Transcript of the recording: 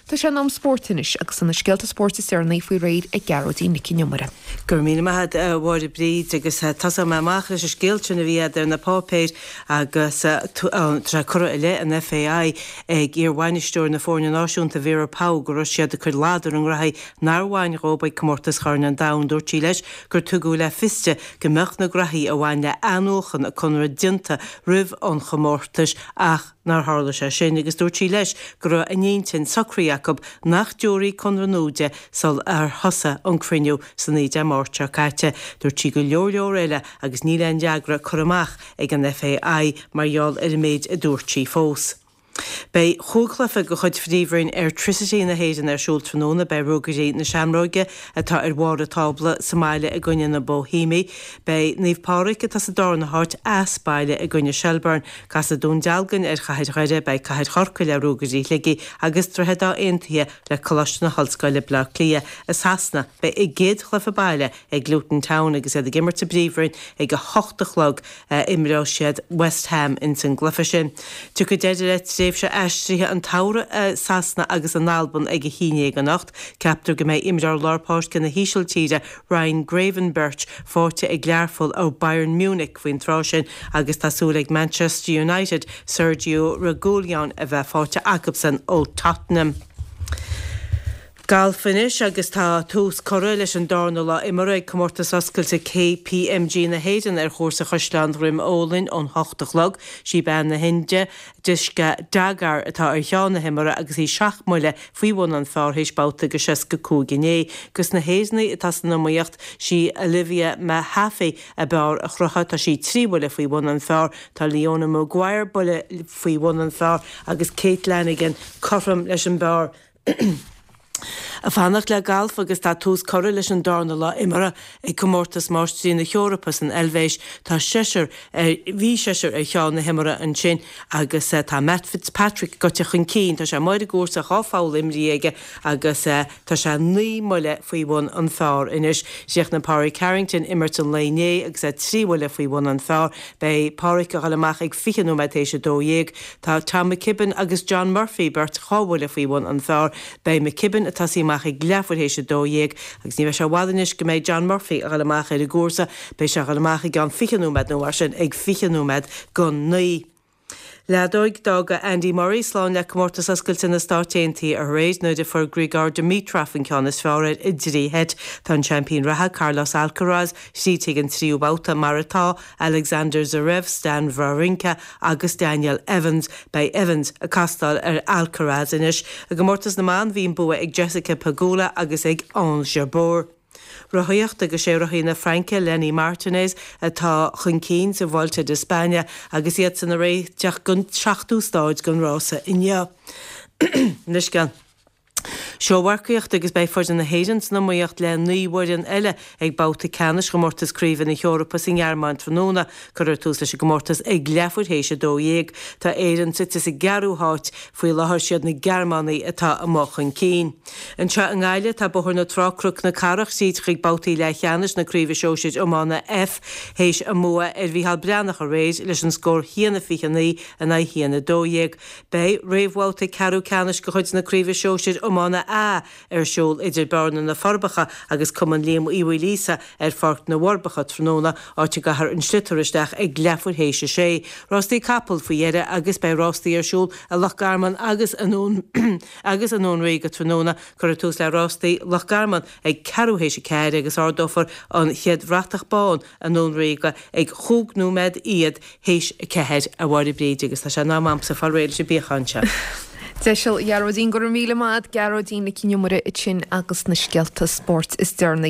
Tá sé in am spóirt anois agus tá na scéalta spóirt is deireanaí faoi réir ag Gearóidín Nic Con Iomaire. Go raibh míle maith agat a Mháire Bríd agus tosóidh mé amach leis an scéal sin a bhí agat ar na páipéir agus tá sé curtha i leith an FAI ag iar-bhainisteoir na foirne náisiúnta Vera Pauw go raibh siad ag cur ladar ar a ngraithí nár bhain dhóibh ag Comórtas Chorn an Domhain. Dúirt sí leis gur tugadh le fios di go mbeadh na graithí a bhain le athnuachan a conradh déanta roimh an chomórtais ach nár tharla sé sin agus dúirt sí leis go raibh a n-intinn socraithe acu nach dtabharfaí conradh nua di sul ar thosaigh an cruinniú san Dé Máirt seo caite. Dúirt sí go leor leor eile agus níl aon fhreagra curtha amach ag an FAI mar gheall ar an méid a dúirt sí fós. Beidh chúig chluiche de chuid Phríomhroinn Airtricity na hÉireann ar siúl tráthnóna. Beidh Ruagairí na Seamróige, atá ar bharr an tábla, sa mbaile i gcoinne na Boihéimigh. Beidh Naomh Pádraig, atá sa darna háit, as baile i gcoinne Shelbourne. Casfaidh Dún Dealgan ar Chathair Dhoire, beidh Cathair Chorcaí le Ruagairí Shligigh agus Droichead Átha Aontaithe le Coláiste na hOllscoile Bleá Cliath. I Sasana, beidh a gcéad chluiche baile ag Luton Town agus iad ag imirt sa bPríomhroinn ag a hocht a chlog. Imreoidh siad West Ham ins an gcluiche sin. Tiocfaidh deireadh le tréimhse aistrithe an tsamhraidh i Sasana agus in Albain ag a haon dhéag anocht. Ceaptar go mbeidh imreoir lár páirce na hÍsiltíre, Ryan Gravenberch, faighte ag Learpholl ó Bayern Munich faoin tráth sin agus tá súil ag Manchester United Sergio Reguilon a bheith faighte acusan ó Tottenham. Galf anois agus tá tús curtha leis an darna lá imeartha ag Comórtas Oscailte KPMG na hÉireann ar chúrsa Chaisleán Dhroim Ólainn ón hocht a chlog. Sí bean na hIndia, Disha Dagar, atá ar cheann na himeartha agus í seacht mbuille faoi bhun an phar théis babhta de 65 inné. Dos na hÉireannaigh atá san iomaíocht, sí Olivia Mehaffey ab fhearr a chruthaigh, tá sí 3 bhuille faoi bhun an phar, tá Leona Maguire buille faoi bhun an phar agus Kate Lanigan cothrom leis an bpar. Ag fanacht le galf agus tá tús curtha leis an darna lá imeartha ag Comórtas Máistrí na hEorpa san Eilvéis. Tá seisear ar, bhí seisear ar cheann na himeartha ansin agus tá Matt Fitzpatrick gaibhte chun cinn. Tá sé amuigh ar an gcúrsa, dhá pholl imrithe aige agus tá sé 9 mbuille faoi bhun an phar anois. Chríochnaigh Pádraig Harrington imirt an lae inné agus é 3 bhuille faoi bhun an phar. Beidh Pádraig ag dul amach ag 20 nóiméad théis 12. Tá Tom McKibbin agus John Murphy beirt dhá bhuille faoi bhun an phar. Beidh McKibbin ag tosaí amach ag leathuair théis 12 agus ní bheidh sé i bhfad anois go mbeidh John Murphy ag dul amach ar an gcúrsa. Beidh sé ag dul amach i gceann 20 nóiméad nó mar sin ag 20 nóiméad go 9. Leadóig, D'fhága Andy Murray slán le Comórtas Oscailte na Stáit Aontaithe aréir nuair a fuair Grigor Dimitrov an ceann is fearr air i dtrí sheit. Tá an seaimpín reatha, Carlos Alcaraz, thríd chuig an tríú babhta, mar atá, Alexander Zverev, Stan Wawrinka agus Daniel Evans. Beidh Evans ag castáil ar Alcaraz anois. I gcomórtas na mban bhí an bua ag Jessica Pegula agus ag Ons Jabeur. Rothaíocht agus sé rothaí na Fraince, Lenny Martinez, atá chun cinn sa Vuelta de España agus iadsan ag réiteach don seachtú stáid den rása inniu. Anois. Seómharcaíocht agus beidh foireann na hÉireann san iomaíocht le 9 bhfoireann eile ag babhta ceannais chomórtas craoibhe na hEorpa sa nGearmáin tráthnóna. Cuirfear tús leis an gcomórtas ag leathuair théis 12. Tá Éirinn suite sa gceathrú háit faoi láthair, siad na Gearmánaigh atá amuigh chun cinn. Anseo i nGaillimh tá Bóthar na Trá Cnoc na Cathrach tríd chuig babhtaí leathcheannais na Craoibhe Sóisir Iomána F théis a mbua ar Mhícheál Breathnach aréir leis an scór 1-29 in aghaidh 1-12. Beidh réamhbhabhta ceathrú ceannais de chuid na Craoibhe Sóisir Iomána A ar siúl idir Bearna na Forbacha agus Cumann Liam Uí Mhaoilíosa ar Pháirc na bhForbacha tráthnóna, áit a gcaithfear an sliotar isteach ag leathuair théis a sé. Rástaí capall faoi dheireadh agus beidh rástaí ar siúl i Loch Garman agus i nDún agus i nDún Ríoga tráthnóna. Cuirfear tús le rástaí Loch Garman ag ceathrú théis a ceathair agus ardófar an chéad bhratach bán i nDún Ríoga ag chúig nóiméad iad théis a ceathair, a Mháire Bríd, agus tá sé in am a'msa fáil réidh leis an bpiachán seo. Deiseal, a Ghearóidín, go raibh míle maith a'd, Gearóidín Nic Con Iomaire ansin agus na scéalta spóirt is deireanaí.